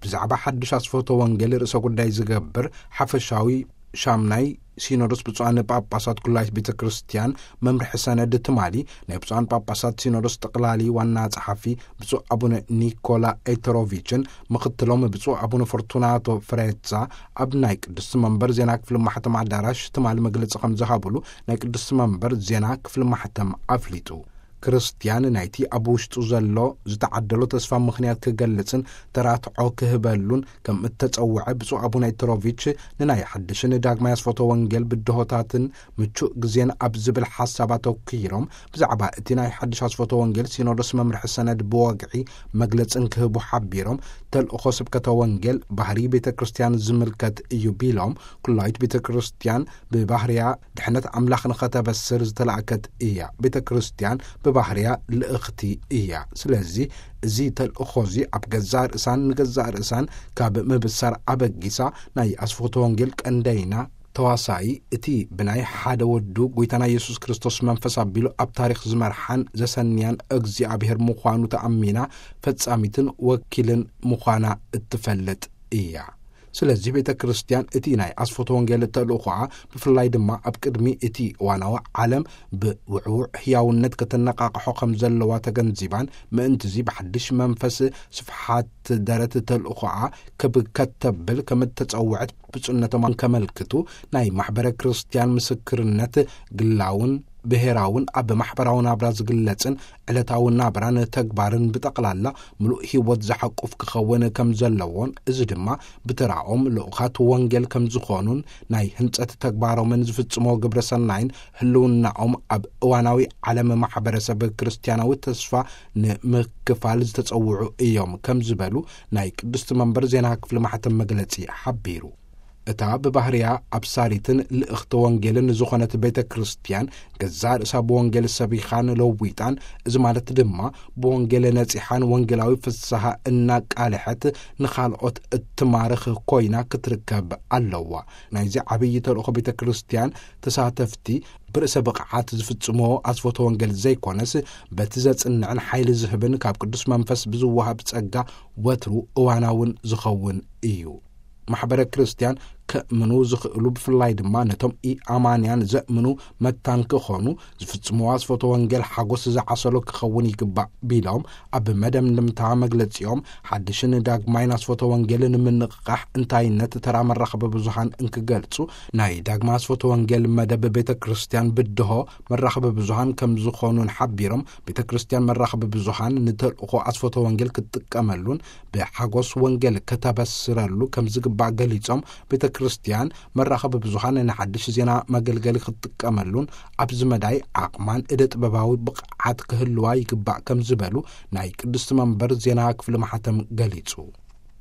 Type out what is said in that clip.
ብዛዕባ ሓድሽ ኣስፈቶ ወንጌል ርእሰ ጉዳይ ዝገብር ሓፈሻዊ ሻምናይ ሲኖዶስ ብፁዓን ጳጳሳት ኩላይት ቤተ ክርስቲያን መምርሒ ሰነድ ትማሊ ናይ ብፁዓን ጳጳሳት ሲኖዶስ ጠቕላሊ ዋና ጸሓፊ ብፁዕ ኣቡነ ኒኮላ ኤተሮቪችን ምኽትሎም ብፁዕ ኣቡነ ፎርቱናቶ ፍሬዛ ኣብ ናይ ቅድስቲ መንበር ዜና ክፍሊ ማሕተም ኣዳራሽ ትማሊ መግለጺ ከም ዝሃብሉ ናይ ቅድስቲ መንበር ዜና ክፍሊ ማሕተም ኣፍሊጡ። ክርስትያን ናይቲ ኣብ ውሽጡ ዘሎ ዝተዓደሎ ተስፋ ምኽንያት ክገልጽን ተራትዖ ክህበሉን ከም እተጸውዐ ብፁዕ ኣቡነ ኤተሮቪች ንናይ ሓድሽን ዳግማይ ኣስፈቶ ወንጌል ብድሆታትን ምቹእ ግዜን ኣብ ዝብል ሓሳብ ኣተኲሮም ብዛዕባ እቲ ናይ ሓድሽ ኣስፈቶ ወንጌል ሲኖዶስ መምርሒ ሰነድ ብወግዒ መግለጽን ክህቡ ሓቢሮም ተልእኾ ስብከተ ወንጌል ባህሪ ቤተ ክርስቲያን ዝምልከት እዩ ቢሎም ኩላይት ቤተ ክርስቲያን ብባህርያ ድሕነት ኣምላኽ ንኸተበስር ዝተላእከት እያ። ቤተ ክርስቲያን ብባህርያ ልእኽቲ እያ። ስለዚ እዚ ተልእኾ እዚ ኣብ ገዛእ ርእሳን ንገዛእ ርእሳን ካብ ምብሳር ኣበጊሳ ናይ ኣስፈቶ ወንጌል ቀንደይና ተዋሳኢ እቲ ብናይ ሓደ ወዱ ጎይታና ኢየሱስ ክርስቶስ መንፈስ ኣቢሉ ኣብ ታሪኽ ዝመርሓን ዘሰንያን እግዚኣብሔር ምዃኑ ተኣሚና ፈጻሚትን ወኪልን ምዃና እትፈልጥ እያ። ስለዚህ ቤተ ክርስቲያን እቲ ናይ ኣስፈቶ ወንጌል ተልእኾኣ ብፍላይ ድማ ኣብ ቅድሚ እቲ እዋናዊ ዓለም ብውዕውዕ ህያውነት ከተነቃቕሖ ከም ዘለዋ ተገንዚባን ምእንትዚ ብሓድሽ መንፈስ ስፍሓት ደረት ተልእኾኣ ክብ ከተብል ከም እተጸውዐት ብፁዕነቶም ከመልክቱ ናይ ማሕበረ ክርስቲያን ምስክርነት ግላውን ብሔራውን ኣብ ማሕበራዊ ናብራ ዝግለጽን ዕለታዊ ናብራን ተግባርን ብጠቕላላ ምሉእ ህይወት ዝሓቁፍ ክኸውን ከም ዘለዎን እዚ ድማ ብተራኦም ልኡኻት ወንጌል ከም ዝኾኑን ናይ ህንጸት ተግባሮምን ዝፍጽሞ ግብረ ሰናይን ህልውናኦም ኣብ እዋናዊ ዓለም ማሕበረሰብ ክርስቲያናዊ ተስፋ ንምክፋል ዝተጸውዑ እዮም ከም ዝበሉ ናይ ቅድስቲ መንበር ዜና ክፍሊ ማሕተም መግለጺ ሓቢሩ። እታ ብባህርያ ኣብሳሪትን ልእኽቲ ወንጌልን ዝኾነት ቤተ ክርስቲያን ገዛእ ርእሳ ብወንጌል ሰቢኻን ለዊጣን፣ እዚ ማለት ድማ ብወንጌል ነጺሓን ወንጌላዊ ፍስሃ እናቃልሐት ንኻልኦት እትማርኽ ኮይና ክትርከብ ኣለዋ። ናይዚ ዓብዪ ተልእኾ ቤተ ክርስቲያን ተሳተፍቲ ብርእሰ ብቕዓት ዝፍጽሞ ኣስፈቶ ወንጌል ዘይኮነስ በቲ ዘጽንዕን ሓይሊ ዝህብን ካብ ቅዱስ መንፈስ ብዝወሃብ ጸጋ ወትሩ እዋናውን ዝኸውን እዩ። ማሕበረ ክርስቲያን ከእምኑ ዝኽእሉ ብፍላይ ድማ ነቶም ኢኣማንያን ዘእምኑ መታን ክኾኑ ዝፍጽምዎ ኣስፈቶ ወንጌል ሓጎስ ዝዓሰሎ ክኸውን ይግባእ ቢሎም ኣብ መደምደምታ መግለጺኦም ሓድሽን ዳግማይን ኣስፈቶ ወንጌል ንምንቕቓሕ እንታይነት ተራ መራኸቢ ብዙሃን እንክገልጹ ናይ ዳግማ ኣስፈቶ ወንጌል መደብ ቤተ ክርስቲያን ብድሆ መራኸቢ ብዙሃን ከም ዝኾኑን ሓቢሮም ቤተ ክርስቲያን መራኸቢ ብዙሃን ንተልእኾ ኣስፈቶ ወንጌል ክትጥቀመሉን ብሓጎስ ወንጌል ከተበስረሉ ከም ዝግባእ ገሊጾም ቤተ ክርስቲያን መራኸቢ ብዙሃን ንሓድሽ ዜና መገልገሊ ክትጥቀመሉን ኣብዚ መዳይ ዓቕማን እደ ጥበባዊ ብቕዓት ክህልዋ ይግባእ ከም ዝበሉ ናይ ቅድስቲ መንበር ዜና ክፍሊ ማሕተም ገሊጹ።